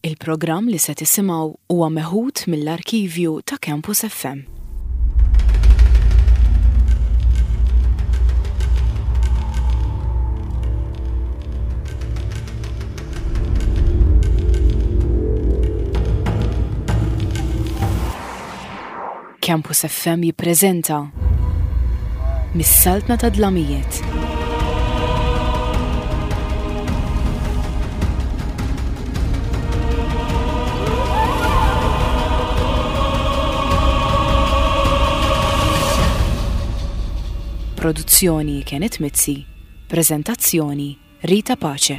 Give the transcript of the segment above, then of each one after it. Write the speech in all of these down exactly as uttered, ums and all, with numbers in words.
Il-programm li se tisimgħu huwa meħud mill-arkivju ta' Campus F M. Campus F M jippreżenta Mis-Saltna ta' Dlamijiet. Produzzjoni Kenneth Mizzi, prezentazzjoni Rita Pace.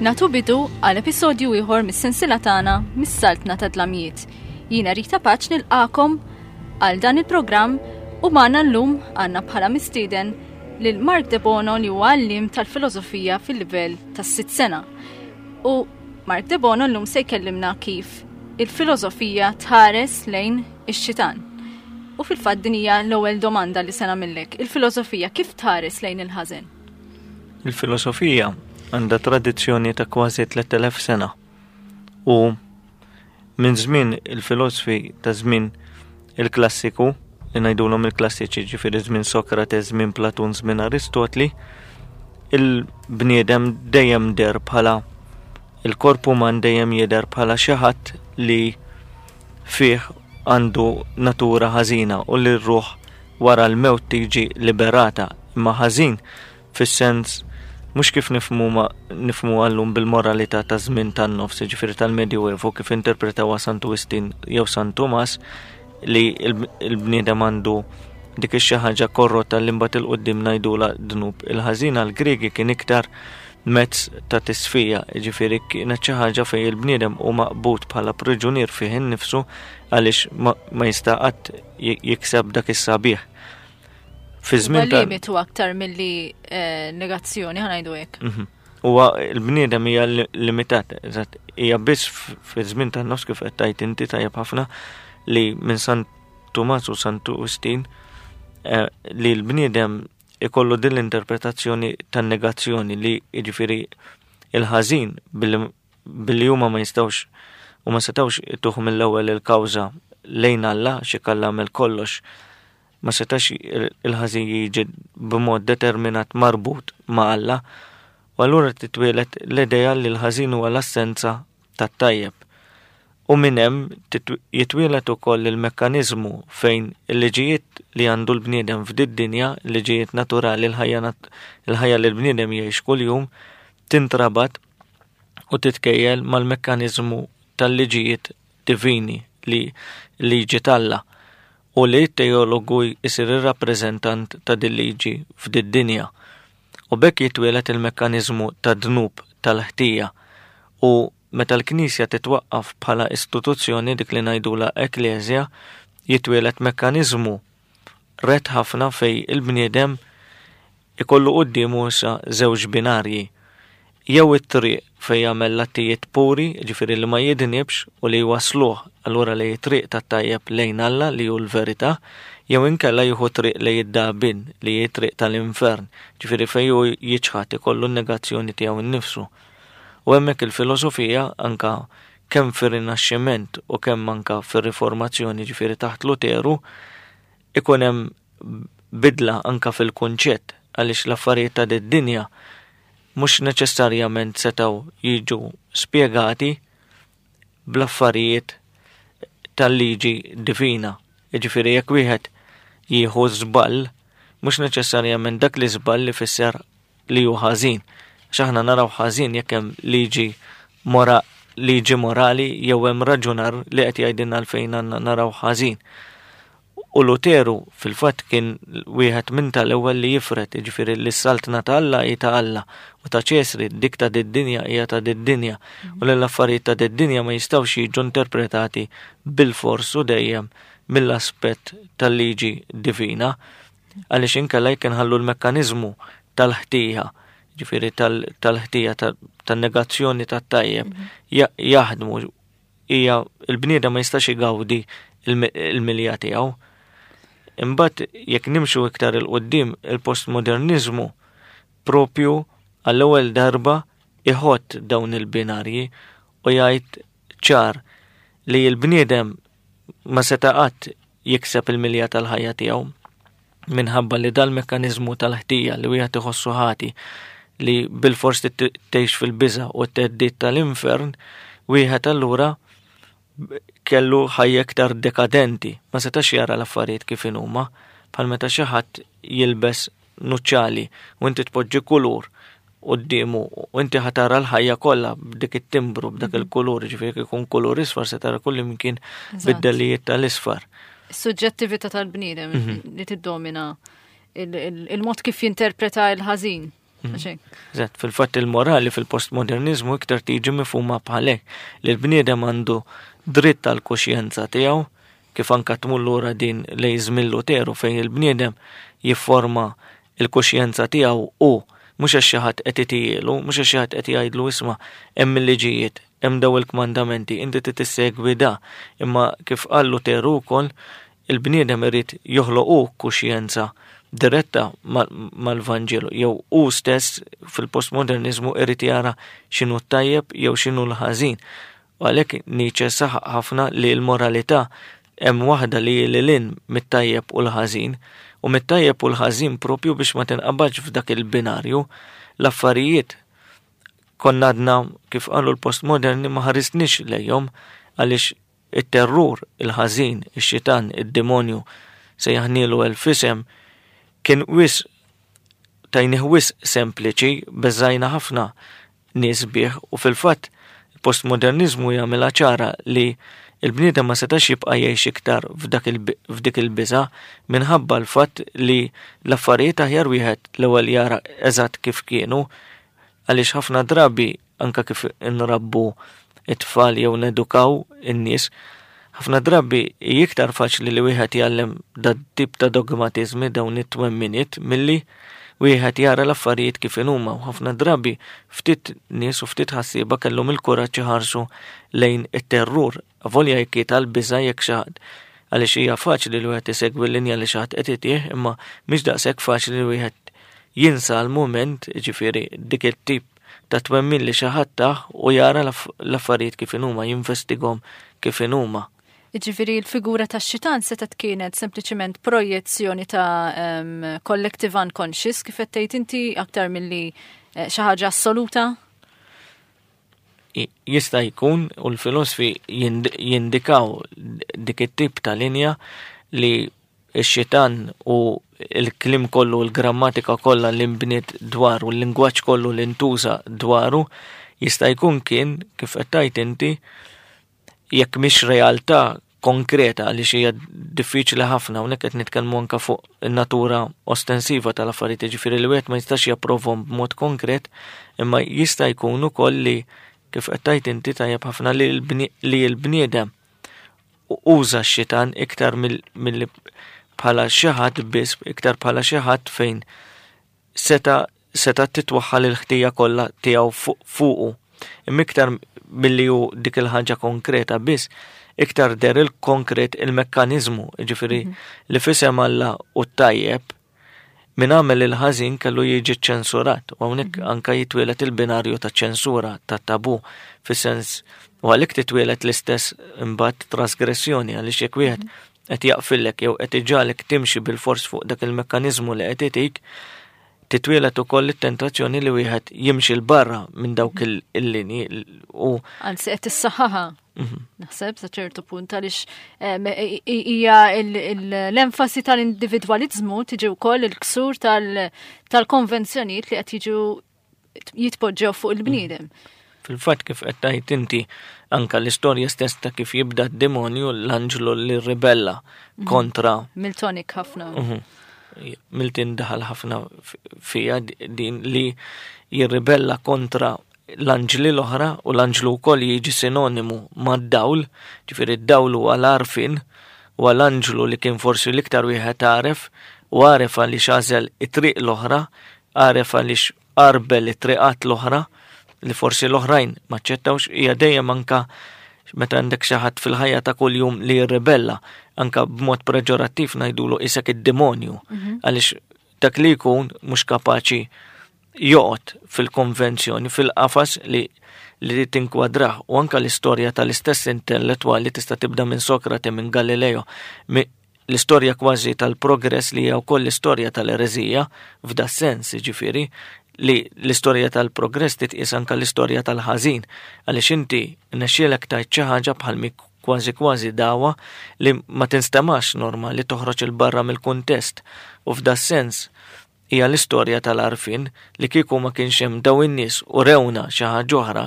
Nagħtu bidu għal episodju ieħor mis-sensila tagħna Mis-Saltna ta' Dlamijiet. Jiena Rita Pace nilqagħkom għal dan il-programm u magħna llum għandna bħala mistieden lil Mark De Bono, li huwa għalliem tal-filosofija fil-livell tas-sitt sena. U Mark De Bono llum se jkellimna kif il-filosofija tħares lejn ix-xitan. U fil-fatt din hija l-ewwel domanda li se nagħmillek. Il-filosofija kif tħares lejn il-ħażen? Il-filosofija għandha tradizzjoni ta' kważi tlett elef sena. U minn żmien il-filosofi ta' żmien il-klassiku, li ngħidulhom il-klassiċi, ġifieri żmien Sokrates, żmien Platun, żmien Aristotli, il-bniedem dejjem deher bħala, il-korp uman dejjem jidher bħala xi ħadd li fih għandu natura ħażina u li r-ruħ wara l-mewt tiġi liberata, imma ħażin fis-sens mhux kif nifhmu ma nifhmu għallum bil-moralità ta' żmien tan-nofs, ġifieri tal-Medjuevo, kif interpretawha Santu Wistin jew San Tumas, li il-bniedem għandu dik ix-xi ħaġa korrotta li mbagħad 'il quddiem ngħidula dnub. Il-ħażin għall-Griegi kien iktar mezz ta' tisfija, ġifieri kienet xi ħaġa fejn il-bniedem hu maqbud bħala priġunier fih innifsu għaliex ma, ma jista' qatt jikseb dak is-sabiħ. Fi żmien ta' limitu aktar milli eh, negazzjoni, ħa ngħidu hekk. Mhm. Huwa l-bniedem hija limitat, eżatt, hija biss fi żmien tan-nofs, kif qed tgħid inti tajjeb ħafna, li minn San Tumas u Santu Wistin eh, li l-bniedem ikollu din l-interpretazzjoni tan-negazzjoni, li jiġifieri il-ħażin billi huma ma jistgħux u ma setgħux ituh mill-ewwel il-kawża lejn Alla, xi kalla għamel kollox, ma setax il-ħażin jiġi b'mod determinat marbut ma' Alla, u allura titwielet l-idea li l-ħażin huwa l-assenza tat-tajjeb. U minn hemm jitwielet ukoll il-mekkaniżmu fejn il-liġijiet li għandu l-bniedem f'did-dinja, il-liġijiet naturali, il-ħajja li l-bniedem jgħix kuljum, tintrabat u titkejjel mal-mekkaniżmu tal-liġijiet divini, li liġi t'Alla, u li t-teologu jisir ir-rappreżentant ta' din liġi f'did-dinja. U b'hekk jitwielet il-mekkaniżmu ta' dnub, tal-ħtija, u meta l-Knisja titwaqqaf bħala istituzzjoni, dik li ngħidula Ekkleżja, jitwielet mekkaniżmu rett ħafna fej il-bniedem ikollu quddiemu issa żewġ binarji. Jew it-triq fej jagħmel l-attijiet puri, ġifieri li ma jidnibx u li jwasluh allura li triq tat-tajjeb lejn Alla, li hu l-verità, jew inkella jieħu triq li jiddabin, li hi triq tal-infern, ġifieri fej hu jiċħad, ikollu n-negazzjoni tiegħu nnifsu. U hemmhekk il-filosofija, anka kemm fir-Rinaxximent u kemm anka fir-Riformazzjoni, ġifieri taħt Luteru, ikun hemm bidla anka fil-kunċett, għaliex l-affarijiet ta' d-dinja mhux neċessarjament setgħu jiġu spjegati bl-affarijiet tal-liġi divina. Jiġifieri jekk wieħed jieħu żball, mhux neċessarjament dak li żball li fisser li hu ħażin. X'aħna naraw ħażin jekk hemm liġi mora liġi morali jew hemm raġunar li qed jgħidilna għalfejn għandna naraw ħażin. U Luteru fil-fatt kien wieħed minn tal-ewwel li jifret, jiġifieri li s-saltna ta' Alla hi ta' Alla u ta' Ċesri, dik ta' d-dinja hija ta' d-dinja, u li l-affarijiet ta' d-dinja ma jistgħux jiġu interpretati bil-fors u dejjem mill-aspett tal-liġi divina, għaliex inkella jekk inħallu l-mekkaniżmu tal-ħtija ġifieri tal-ħtija, tan-negazzjoni tat-tajjeb, jaħdmu hija il-bniedem ma jistax igawdi il-milja tiegħu. Imbagħad jekk nimxu iktar 'il quddiem, il-postmodernizmu propju għall-ewwel darba iħott dawn il-binarji u jgħid ċar li l-bniedem ma seta' qatt jikseb il-milja tal-ħajja tiegħu minħabba li dal-mekkaniżmu tal-ħtija li wieħed iħossu ħati li bilfors tgħix fil-biża' u t-theddid tal-infern, wieħed allura kellu ħajja iktar dekadenti, ma setax jara l-affarijiet kif inhuma, bħal meta xi ħadd jilbes nuċċali u inti tpoġġi kulur quddiemu u inti ħa tara l-ħajja kollha b'dik it-timbru, b'dak il-kulur, ġifieri jkun kulur isfar se tara kull imkien bid-dellijiet tal-isfar. Is-suġġettività tal-bniedem li tiddomina il-mod kif jinterpreta l-ħażin. Eżatt, fil-fatt il-morali fil-postmodernizmu iktar tiġi mifhuma bħalek li l-bniedem għandu dritt tal-kuxjenza tiegħu, kif anka tmur lura din lejn żmien Luteru fejn il-bniedem jifforma il-kuxjenza tiegħu u mhux għax xi ħadd qed itielu, mhux għax xi ħadd qed jgħidlu isma' hemm il-liġijiet, hemm daw il-kmandamenti, inti trid tissegwi da. Imma kif qal Luteru wkoll, il-bniedem irid joħloq kuxjenza diretta mal-Vanġelu, jew hu stess fil-postmodernizmu irid jara x'inhu t-tajjeb jew x'inhu l-ħażin. U għalhekk Nietzsche saħaq ħafna li l-moralità hemm waħda li lil hinn mit-tajjeb u l-ħażin, u mit-tajjeb u l-ħażin propju biex ma tinqabadx f'dak il-binarju. L-affarijiet konna għadna kif qalu l-postmoderni ma ħarisniex lejhom għaliex it-terrur, il-ħażin, ix-xitan, id-demonju se jaħnilu elf isem kien wis tajnih wis sempliċi, beżajna ħafna nies bih, u fil-fatt il-postmodernizmu jagħmilha ċara li il-bniedem ma setax jibqa' jgħix iktar f'dik il-biża' minħabba l-fatt li l-affarijiet aħjar wieħed l-ewwel jara eżatt kif kienu, għaliex ħafna drabi anka kif inrabbu it-tfal jew nedukaw in-nies, ħafna drabi iktar faċli li wieħed jgħallem dat tip ta' dogmatizmi, dawn it-twemminiet, milli wieħed jara l-affarijiet kif inhuma, u ħafna drabi ftit nies u ftit ħassieba kellhom il-kuraġġ iħarsu lejn it-terrur, avolja jekk tal-biża' jekk xi ħadd, għaliex hija faċli li wieħed isegwi l-linja li xi ħadd qed itih, imma mhix daqshekk faċli li wieħed jinsa l-mument, ġifieri dik it-tip ta' twemmin li xi ħadd tah u jara l-affarijiet kif inhuma, jinvestigahom kif inhuma. Jiġifieri l-figura tax-xitan setgħet kienet sempliċement projezzjoni ta' um, collective unconscious, kif qed tgħid inti, aktar milli eh, xi ħaġa assoluta? Jista' jkun, u l-filosofi jindikaw dik it-tip ta' linja li x-xitan u l-kliem kollu, l-grammatika kollha li nbniet dwaru, l-lingwaġġ kollu li ntuża dwaru, jista' jkun kien, kif qed tgħid inti, jekk mhix realtà konkreta, għaliex hija diffiċli ħafna, hawnhekk qed nitkellmu anke fuq in-natura ostensiva tal-affarijiet, jiġifieri li wieħed ma jistax japprovhom b'mod konkret, imma jista' jkun ukoll li kif qed tgħid inti tajjeb ħafna li l-bniedem uża x-xitan iktar milli bħala xi ħadd biss, iktar bħala xi ħadd fejn seta' seta' titwaħħal il-ħtija kollha tiegħu fuqu. Imma iktar milli hu dik il-ħaġa konkreta biss, iktar der il-konkret il-mekkaniżmu, jiġifieri li f'isem Alla u t-tajjeb min għamel il-ħażin kellu jiġi ċensurat, u hawnhekk anka jitwielet il-binarju ta' ċensura, ta' tabu, fis-sens, u għalhekk titwielet l-istess imbagħad trasgressjoni, għaliex jekk wieħed qed jaqfillek jew qed iġagħlek timxi bil-fors fuq dak il-mekkaniżmu li qed itik, titwielet ukoll it-tentazzjoni li wieħed jimxi 'l barra minn dawk il-linji u Anzi qed tissaħħaha. Naħseb sa ċertu punt għaliex hija l-enfasi tal-individwaliżmu tiġi wkoll il-ksur tal-konvenzjonijiet li qed jiġu jitpoġġew fuq il-bniedem. Fil-fatt kif qed tgħid inti, anka l-istorja stess ta' kif jibda d-demonju, l-anġlu li ribella kontra Miltonik ħafna. Milton daħal ħafna fija din li jirribella kontra l-anġli l-oħra, u l-anġlu wkoll jiġi sinonimu mad-dawl, ġifieri d-dawl huwa l-għarfien, u l-anġlu li kien forsi l-iktar wieħed għaref, u għaref għaliex għażel it-triq l-oħra, għaref għaliex għarbel it-triqat l-oħra li forsi l-oħrajn ma ċċettawx. Hija dejjem anka meta għandek xi ħadd fil-ħajja ta' kuljum li jirribella, anka b'mod peġorattiv ngħidulu isek id-demonju, mhm. għaliex dak li jkun mhux kapaċi joqgħod fil-konvenzjoni, fil-qafas li li tinkwadrah. U anka l-istorja tal-istess intellettwali tista' tibda minn Sokrate, minn Galileo, l-istorja kważi tal-progress li hija wkoll l-istorja tal-ereżija f'da sens, ġifieri li l-istorja tal-progress titqies anka l-istorja tal-ħażin, għaliex inti nexxielek tajt xi ħaġa bħal kważi kważi dawa li ma tinstemax normali, toħroġ il barra mill-kuntest, u f'da sens hija l-istorja tal-għarfien li kieku ma kienx hemm daw in-nies u rewna xi ħaġa oħra,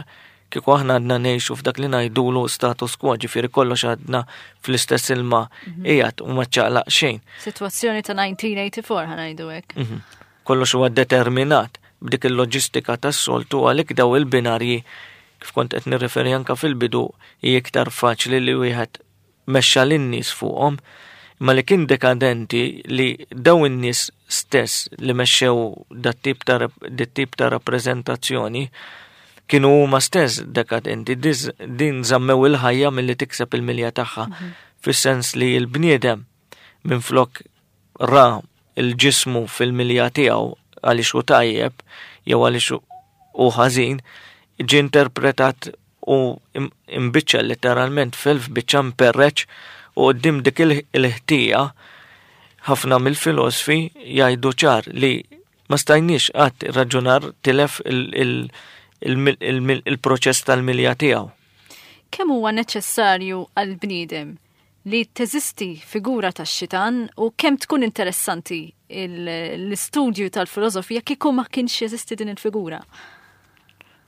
kieku aħna għadna ngħixu f'dak li ngħidulu status quo, ġifieri kollox għadna fl-istess ilma mhm. qiegħed u ma ċaqlaq xejn. Sitwazzjoni ta' elf disa' mija u erbgħa u disgħin ħa ngħidu hekk. Mhm. Kollox huwa determinat b'dik il-loġistika tas-soltu, għalhekk daw il-binarji, kif kont qed nirreferi anka fil-bidu, hi iktar faċli li wieħed mexxa lin-nies fuqhom, imma li kien dekadenti li daw in-nies stess li mexxew dat tip ta' tip ta' rappreżentazzjoni kienu huma stess dekadenti, din żammew il-ħajja milli tikseb il-milja tagħha, mhm. fis-sens li l-bniedem minn flok ra il-ġismu fil-milja tiegħu għaliex hu tajjeb jew għaliex hu ħażin, ġie interpretat u imbiċċa letteralment f'elf biċċa, mperreċ, u qoddim dik il-ħtija ħafna mill-filosfi jgħidu ċar li ma stajniex qatt raġunar, tilef il-proċess tal-milja tiegħu. Kemm huwa neċessarju għal-bniedem li teżisti figura tax-xitan u kemm tkun interessanti l-istudju tal-filosofija kieku ma kienx jeżisti din il-figura?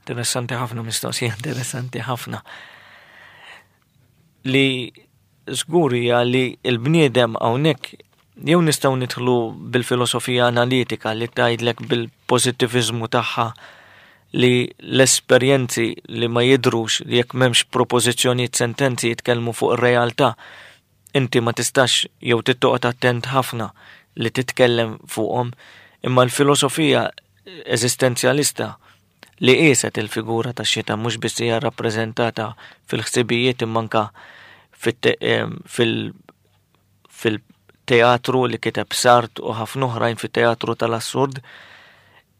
Interessanti ħafna, mistoqsija interessanti ħafna. Li żgur hija li l-bniedem hawnhekk jew nistgħu nidħlu bil-filosofija analitika li tgħidlek bil-pożittiviżmu tagħha li l-esperjenzi li ma jidrux, li jekk m'hemmx propożizzjonijiet, sentenzi jitkellmu fuq ir-realtà, inti ma tistax jew tittoqgħod attent ħafna li titkellem fuqhom, imma l-filosofija eżistenzjalista li qieset il-figura ta' xitan mhux biss hija rappreżentata fil-ħsibijiet imma anka fil-teatru li kiteb Sartre u ħafna oħrajn, fit-teatru tal-assurd,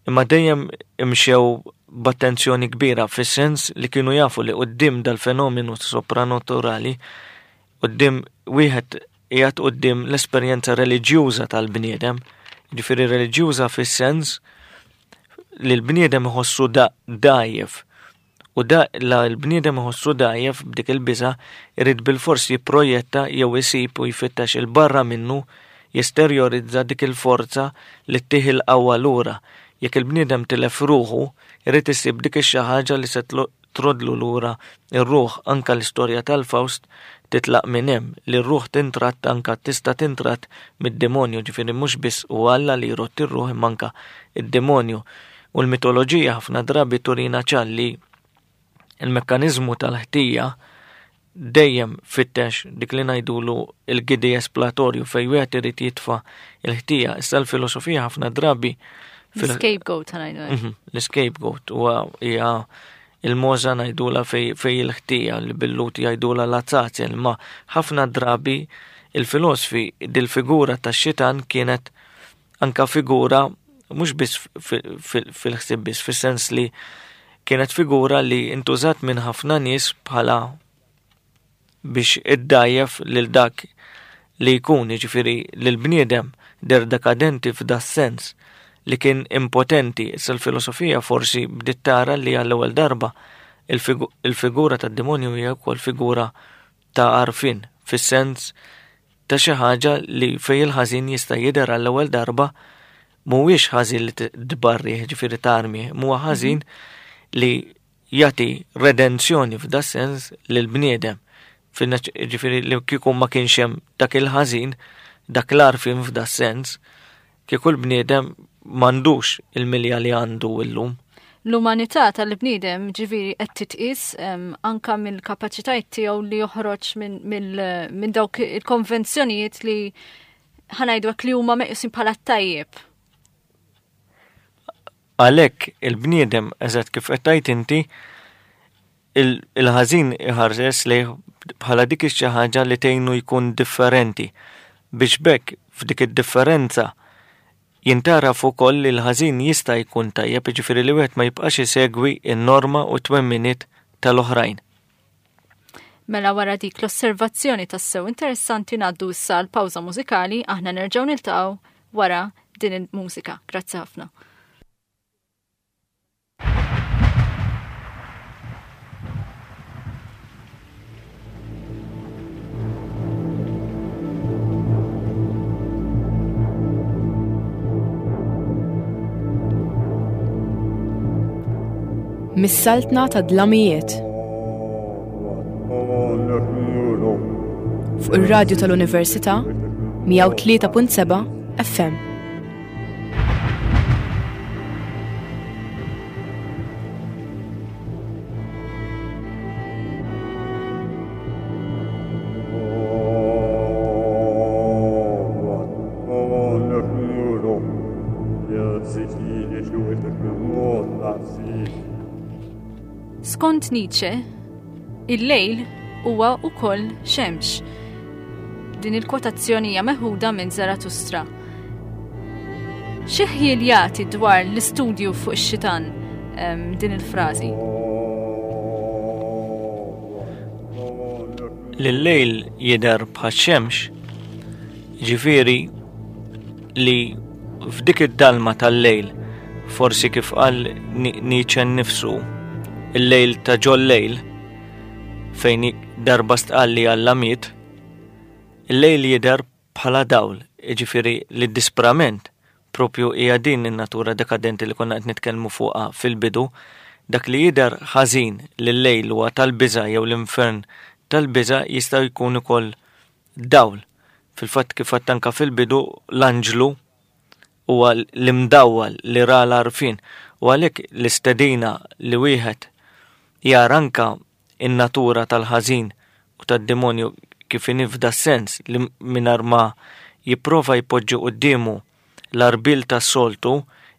imma dejjem imxew b'attenzjoni kbira fis-sens li kienu jafu li quddiem dal-fenomenu sopranaturali, quddiem wieħed qiegħed quddiem l-esperjenza reliġjuża tal-bniedem, ġifieri reliġjuża fis-sens li l-bniedem iħossu dgħajjef. U da la l-bniedem iħossu dgħajjef b'dik il-biża irid bil-fors jipprojetta jew isib u jfittex il-barra minnu, jesterjorizza dik il-forza li ttih il-qawwa lura. Jekk il-bniedem tilef ruħu, irid isib dik ix ħaġa li se trodlu lura ir-ruħ. Anka l-istorja tal-Faust titlaq minn hemm li r-ruħ tintratt, anka tista' tintratt mid-demonju, ġifieri mhux biss u Alla li jrodd ir-ruħ imma anka id-demonju. U l-mitoloġija ħafna drabi turina ċar li il-mekkanizmu tal-ħtija dejjem fittex dik li ngħidulu il-gidi espjatorju fej wieħed irid jitfa' il-ħtija. Issa l-filosofija ħafna drabi L-scapegoat ngħidu. Mhm, l-scapegoat huwa hija il-mogħża ngħidula fej, fej il-ħtija li bil-Lhud jgħidula l-Azazel, ma ħafna drabi il-filosofi dil-figura ta' xitan kienet anka figura mhux biss fil-ħsieb biss, fis-sens li kienet figura li intużat minn ħafna nies bħala biex iddajjef lil dak li jkun, jiġifieri lil bniedem der dekadenti f'da sens li kien impotenti. Issa l-filosofija forsi bdiet tara li għall-ewwel darba il-figura tad-demonju hija wkoll figura ta' għarfien fis-sens ta' xi ħaġa li fej il-ħażin jista' jidher għall-ewwel darba mhuwiex ħażin li tbarrih, ġifieri tarmi, huwa ħażin li jagħti redenzjoni f'da sens lil bniedem. Ġifieri li kieku ma kienx hemm dak il-ħażin, dak l-għarfien f'da sens, kieku l-bniedem m'għandux il-milja li għandu illum. L-umanità tal-bniedem ġifieri qed titqis anka mill-kapaċitajiet tiegħu li joħroġ minn dawk il-konvenzjonijiet li ħa ngħidu li huma meqjusin bħala tajjeb. Għalhekk il-bniedem, eżatt kif qed tgħid inti, il-ħażin iħares lejh bħala dik xi ħaġa li tgħinu jkun differenti, biex b'hekk f'dik id-differenza jintaraf ukoll li l-ħażin jista' jkun tajjeb, jiġifieri li wieħed ma jibqax isegwi n-norma u t-twemminiet tal-oħrajn. Mela wara dik l-osservazzjoni tassew interessanti ngħaddu issa għal pawża mużikali, aħna nerġgħu niltaqgħu wara din il-mużika. Grazzi ħafna. Mis-saltna ta' dlamijiet. Fuq ir-radju tal-Università mija u tlieta punt seba' F M. Skont Nietzsche, il-lejl huwa wkoll xemx. Din il-kwotazzjoni hija meħuda minn Zarathustra. Xi ħjiel jagħti dwar l-istudju fuq ix-xitan, ehm, din il-frażi? Lil-lejl jidher bħax-xemx, ġifieri li f'dik id-dalma tal-lejl, forsi kif qal Ni-, Nietzsche nnifsu, il-lejl ta' ġol-lejl, fejn darba stqal li Alla miet, il-lejl jidher bħala dawl, jiġifieri li d-disprament propju hija din in-natura dekadenti li konna qed nitkellmu fuqha fil-bidu, dak li jidher ħażin li l-lejl huwa tal-biża' jew l-infern tal-biża' jista' jkun ukoll dawl. Fil-fatt kif għedt anke fil-bidu, l-anġlu huwa l-imdawwal li ra l-għarfien, u għalhekk l-istedina li wieħed jara anke in-natura tal-ħażin u tad-demonju kif inhi f'da sens li mingħajr ma jipprova jpoġġi quddiemu l-arbil tas-soltu,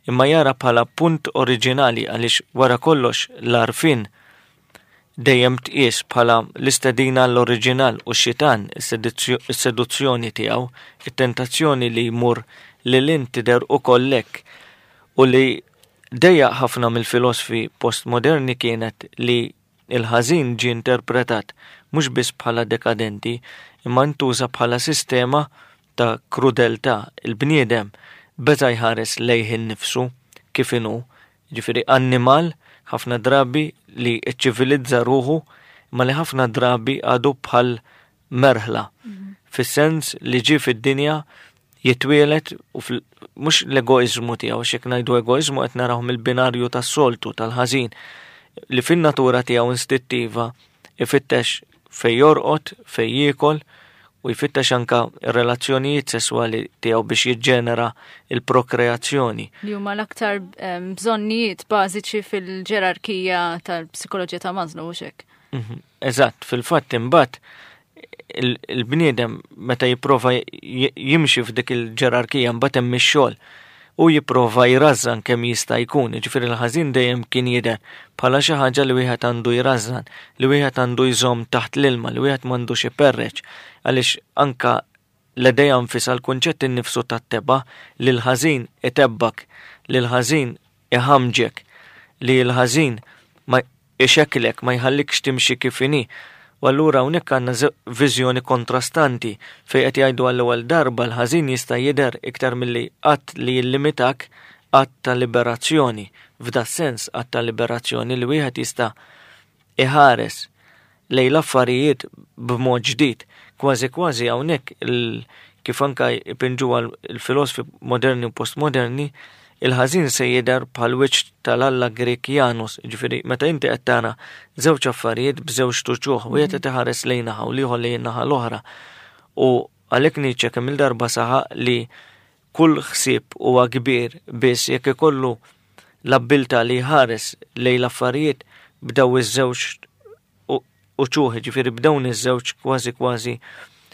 imma jara bħala punt oriġinali, għaliex wara kollox l-għarfien dejjem tqies bħala l-istedina l-oriġinal u x-xitan, is-seduzzjoni tiegħu, it-tentazzjoni li jmur lil int tidher ukoll hekk, u li dejjaq ħafna mill-filosfi postmoderni kienet li il-ħażin ġie interpretat mhux biss bħala dekadenti, imma ntuża bħala sistema ta' krudeltà. Il-bniedem beda jħares lejh innifsu kif inhu, ġifieri annimal ħafna drabi li ċċivilizza ruħu, imma li ħafna drabi għadu bħal merħla, Mhm. fis-sens li ġie fid-dinja jitwielet u fil-, mhux l-egoiżmu tiegħu, għax jekk ngħidu egoiżmu qed naraw mill-binarju tas-soltu tal-ħażin, li fin-natura tiegħu instittiva ifittex fej jorqod, fej jiekol, u jfittex anka r-relazzjonijiet sesswali tiegħu biex jiġġenera il-prokreazzjoni. Li huma l-aktar, ehm, bżonnijiet bażiċi fil-ġerarkija tal-psikoloġija ta' Maslow, hux hekk? Mhm. Eżatt, fil-fatt imbagħad il-, il-bniedem meta jipprova j-, jimxi f'dik il-ġerarkija mbagħad hemm ix-xogħol u jipprova jrażżan kemm jista' jkun, jiġifieri l-ħażin dejjem kien jidher bħala xi ħaġa li wieħed għandu jrażżan, li wieħed għandu jżomm taħt l-ilma, li wieħed m'għandux iperreċ, għaliex anka l-idea nfisha l-kunċett innifsu tat-teba' li l-ħażin itebbak, li l-ħażin iħamġek, li l-ħażin ma ixekklek, ma jħallikx timxi kif inhi. U allura hawnhekk għandna ze-, viżjoni kontrastanti fejn qed jgħidu għall-ewwel darba l-ħażin jista' jidher iktar milli qatt li jillimitak, att ta' liberazzjoni. F'da sens att ta' liberazzjoni li wieħed jista' iħares lejn l-affarijiet b'mod ġdid. Kważi kważi hawnhekk il-, kif anka jpinġuha l-filosofi moderni u postmoderni, il-ħażin se jidher bħal wiċċ tal-Alla Grek Janus, ġifieri meta inti qed tara żewġ affarijiet b'żewġ tuċuħ, wieħed qed iħares lejn naħa u l-ieħor lejn naħa l-oħra. U għalhekk Nietzsche kemm il-darba saħaq li kull ħsieb huwa kbir biss jekk ikollu l-abbiltà li jħares lejn l-affarijiet b'daw iż-żewġ u-, uċuħ, ġifieri b'dawn iż-żewġ kważi kważi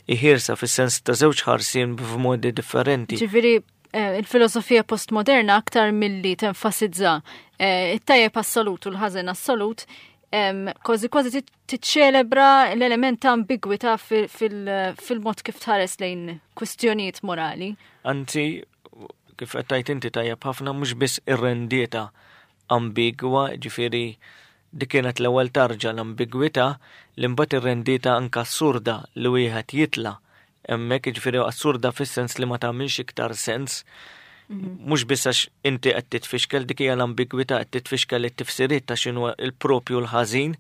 iħirsa fis-sens ta' żewġ ħarsien b'modi differenti. Ġifieri eh, il-filosofija postmoderna aktar milli tenfasizza eh, it-tajjeb assolut u l-ħażen assolut, kważi kważi tiċċelebra l-element ta' ambigwità fil-mod kif tħares lejn kwistjonijiet morali. Anzi, kif qed tgħid inti tajjeb ħafna, mhux biss irrendietha ambigwa, ġifieri dik kienet l-ewwel tarġa l-ambigwità, li mbagħad irrendietha anke assurda li wieħed jitla' hemmhekk, jiġifieri assurda fis-sens li ma tagħmilx iktar sens. Mhux biss għax inti qed titfixkel, dik hija l-ambigwità, qed titfixkel it-tifsiriet ta' x'inhu il-propju l-ħażin,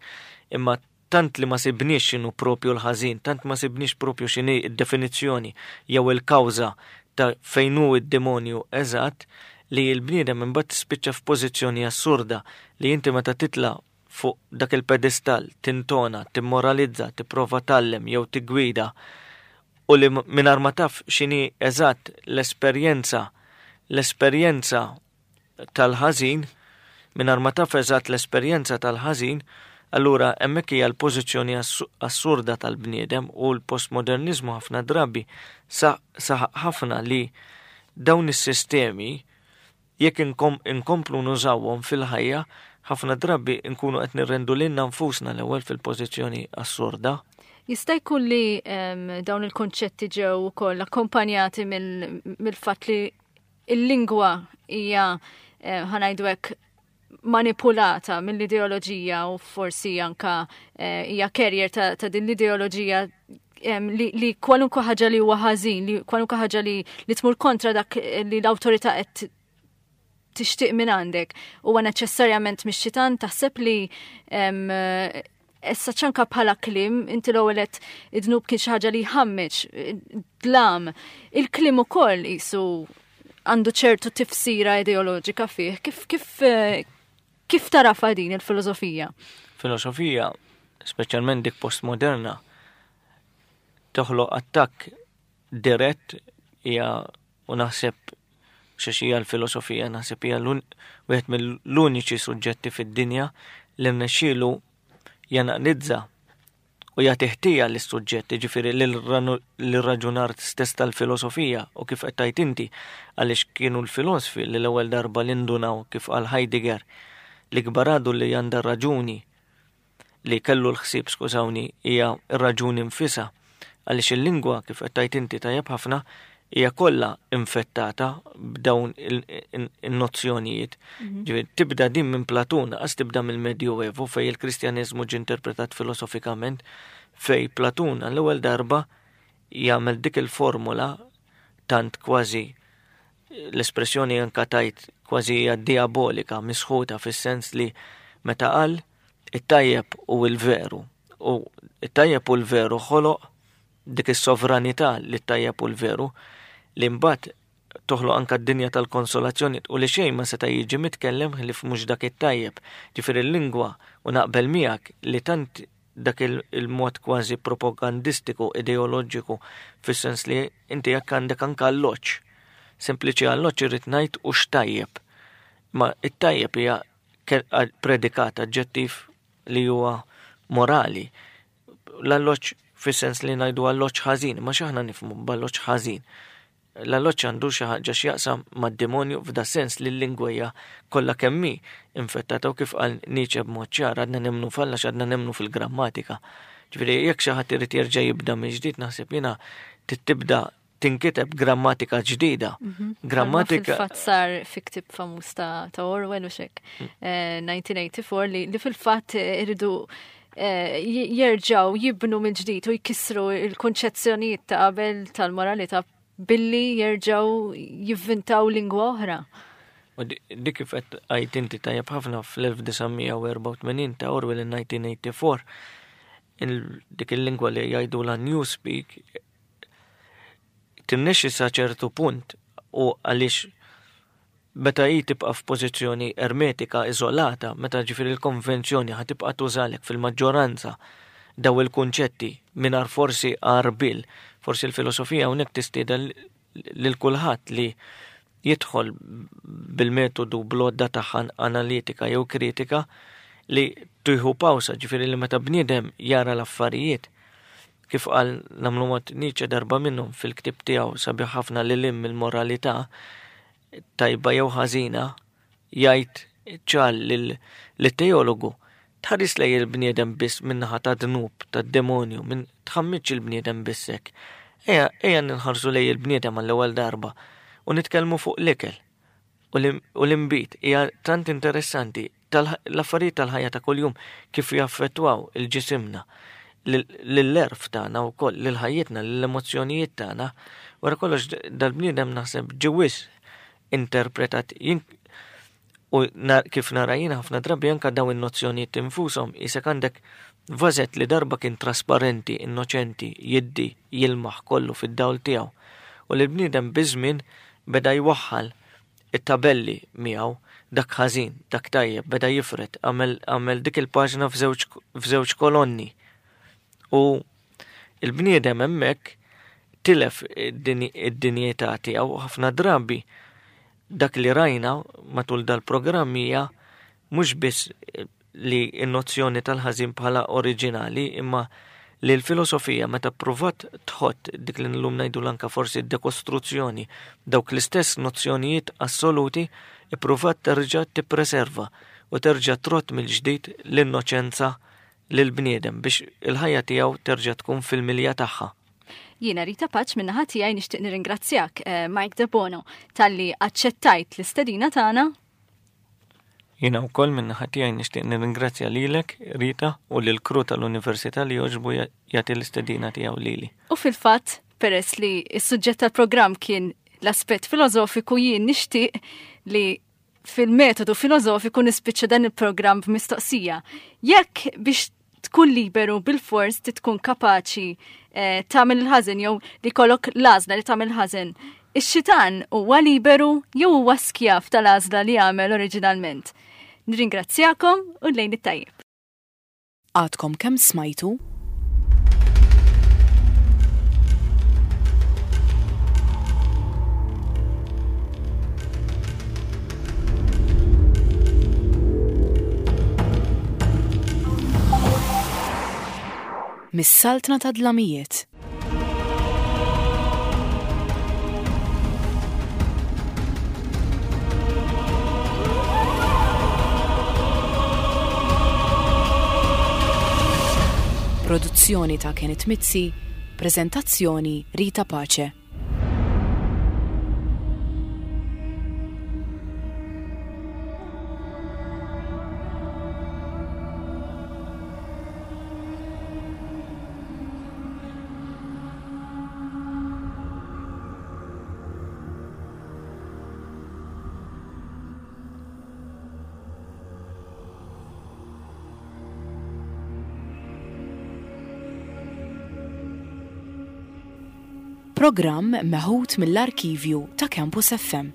imma tant li ma sibniex x'inhu propju l-ħażin, tant ma sibniex propju x'inhi d-definizzjoni jew il-kawża ta' fejn hu d-demonju eżatt, li l-bniedem imbagħad tispiċċa f'pożizzjoni assurda li inti meta titla' fuq dak il-pedestal, tintona, timmoralizza, tipprova tgħallem jew tiggwida, u li mingħajr ma taf x'inhi eżatt l-esperjenza l-esperjenza tal-ħażin, mingħajr ma taf eżatt l-esperjenza tal-ħażin, allura hemmhekk hija l-pożizzjoni assurda tal-bniedem. U l-postmodernizmu ħafna drabi saħaq ħafna li dawn is-sistemi jekk inkomplu nużawhom fil-ħajja, ħafna drabi nkunu qed nirrendu lilna nfusna l-ewwel fil-pożizzjoni assurda. Jista' jkun li dawn il-konċetti ġew ukoll akkompanjati mill-fatt li il-lingwa hija, ħa ngħidu hekk, manipulata mill-ideoloġija u forsi anka hija carrier ta', ta din l-ideoloġija li, li kwalunkwe ħaġa li huwa ħażin, li kwalunkwe ħaġa li, li tmur kontra dak li l-awtorità qed tixtieq minn għandek huwa neċessarjament mix-xitan. Taħseb li issa ċanka bħala kliem, inti l-ewwel qed id-dnub kien xi ħaġa li jħammeġ, dlam. Il-kliem ukoll qisu għandu ċertu tifsira ideoloġika fih. Kif, kif, kif tarafa din il-filosofija? Filosofija, speċjalment dik postmoderna, toħloq attakk dirett hija, u naħseb xiex hija l-filosofija, naħseb hija wieħed mill-uniċi suġġetti fid-dinja li rnexxielu janalizza u jagħti ħtija lis-suġġett, jiġifieri lir-raġunar stess tal-filosofija. U kif qed tgħid inti, għaliex kienu l-filosfi li l-ewwel darba li ndunaw, kif qal Heidegger, li gbaradu li għandha raġuni, li kellu l-ħsieb, skużawni, hija r-raġuni nfisha, għaliex il-lingwa, kif qed tgħid inti tajjeb ħafna, hija kollha infettata b'dawn il-nozzjonijiet. Mhm. Ġifieri tibda din minn Platun, qas tibda mill-Medjuevu fej il-Kristjaneżmu ġie interpretat filosofikament, fej Platun għall-ewwel darba jagħmel dik il-formula tant kważi l-espressjoni anka tajt kważi hija diabolika, misħuta, fis-sens li meta qal it-tajjeb u l-veru. U it-tajjeb u l-veru ħoloq dik is-sovranità li t-tajjeb u l-veru, li mbagħad toħloq anka d-dinja tal-konsolazzjoni u li xejn ma seta' jiġi mitkellem ħlief mhux dak it-tajjeb. Ġifieri l-lingwa, u naqbel miegħek li tant dak il-mod kważi propagandistiku, ideoloġiku, fis-sens li inti jekk għandek anka alloġġ, sempliċi alloġġ irrid ngħid u x'tajjeb. Ma it-tajjeb hija predikat, aġġettiv li huwa morali. L-alloġġ fis-sens li ngħidu alloġġ ħażin, ma x'aħna nifhmu b'alloġġ ħażin. L-alloġġ għandu xi ħaġa x'jaqsam mad-demonju, f'da sens li l-lingwa hija kollha kemm hi infettata, u kif qal Nietzsche b'mod ċar, għadna nemmnu f'Alla x'għadna nemmnu fil-grammatika. Ġifieri jekk xi ħadd irid jerġa' jibda mill-ġdid, naħseb jiena tibda tinkiteb grammatika ġdida. Mhm. Grammatika Fil-fatt sar fi ktieb famuż ta', ta' Orwell u xek, eh, nineteen eighty-four, li, li fil-fatt iridu eh, jerġaw jibnu mill-ġdid u jkissru il-konċezzjonijiet ta' qabel tal-moralità billi jerġaw jivvintaw lingwa oħra. U dik kif qed għidt inti tajjeb ħafna fl-elf disa' mija u erbgħa u tmenin ta' Orwell in nineteen eighty-four, dik il-lingwa li jgħidu la Newspeak tirnexxi sa ċertu punt, u għaliex meta hi tibqa' f'pożizzjoni ermetika, iżolata, meta ġifieri l-konvenzjoni ħa tibqa' tużalek fil-maġġoranza daw il-kunċetti mingħajr forsi għarbil, forsi l-filosofija hawnhekk tistieden lil kulħadd li jidħol bil-metodu bl-għodda tagħha analitika jew kritika li tieħu pawsa, ġifieri li meta bniedem jara l-affarijiet Kif qal nagħmlu mod Nietzsche darba minnhom fil-ktieb tiegħu sabiħ ħafna lil hinn mill-moralità tajba jew ħażina, jgħid ċar lit-teologu tħares lejn il-bniedem biss min-naħa ta' dnub, ta' demonju, minn tħammitx il-bniedem biss hekk. Ejja, ejja ninħarsu lejn il-bniedem għall-ewwel darba u nitkellmu fuq l-ikel u l-imbit. Hija tant interessanti l-affarijiet tal-ħajja ta' kuljum kif jaffettwaw il-ġisimna, l-għerf tagħna wkoll, lil ħajjitna, lill-emozzjonijiet tagħna. Wara kollox dal-bniedem naħseb ġie wisq interpretat u kif nara jiena ħafna drabi anka daw in-nozzjonijiet infushom isek għandek vażett li darba kien trasparenti, innoċenti, jiddi, jilmaħ kollu fid-dawl tiegħu. U l-bniedem biż-żmien beda jwaħħal it-tabelli miegħu, dak ħażin, dak tajjeb, beda jifred, għamel dik il-paġna f'żewġ kolonni. U il-bniedem hemmhekk tilef id-dinjità tiegħu ħafna drabi. Dak li rajna matul dal-programm hija mhux biss li n-nozzjoni tal-ħażin bħala oriġinali, imma li l-filosofija meta provat tħott dik li llum ngħidu anka forsi dekostruzzjoni, dawk l-istess nozzjonijiet assoluti ippruvat terġa' tippreserva u terġa' trott mill-ġdid l-innoċenza lill-bniedem biex il-ħajja tiegħu terġa' tkun fil-milja tagħha. Jiena Rita Paċ min-naħa tiegħi nixtieq nirringrazzjak eh, Mike Debono talli aċċettajt l-istedina tagħna. Jiena wkoll min-naħa tiegħi nixtieq nirringrazzja lilek, Rita, u lill-crew tal-Università li jogħġbu jagħti l-istedina tiegħu lili. U fil-fatt, peress li s-suġġett tal-programm kien l-aspett filosofiku, jien nixtieq li fil-metodu filosofiku nispiċċa dan il-programm b'mistoqsija. Jekk biex tkun liberu bil-fors tkun kapaċi eh, tagħmel il-ħażen jew li kollok l-għażla li tagħmel ħażen, ix-xitan huwa liberu jew huwa skjav tal-għażla li għamel oriġinalment. Nirringrazzjakom u lejn it-tajjeb. Għadkom kemm smajtu? Mis-Saltna ta' Dlamijiet. Produzzjoni ta' Kenneth Mizzi, prezentazzjoni Rita Pace. Programm meħud mill-arkivju ta' Campus F M.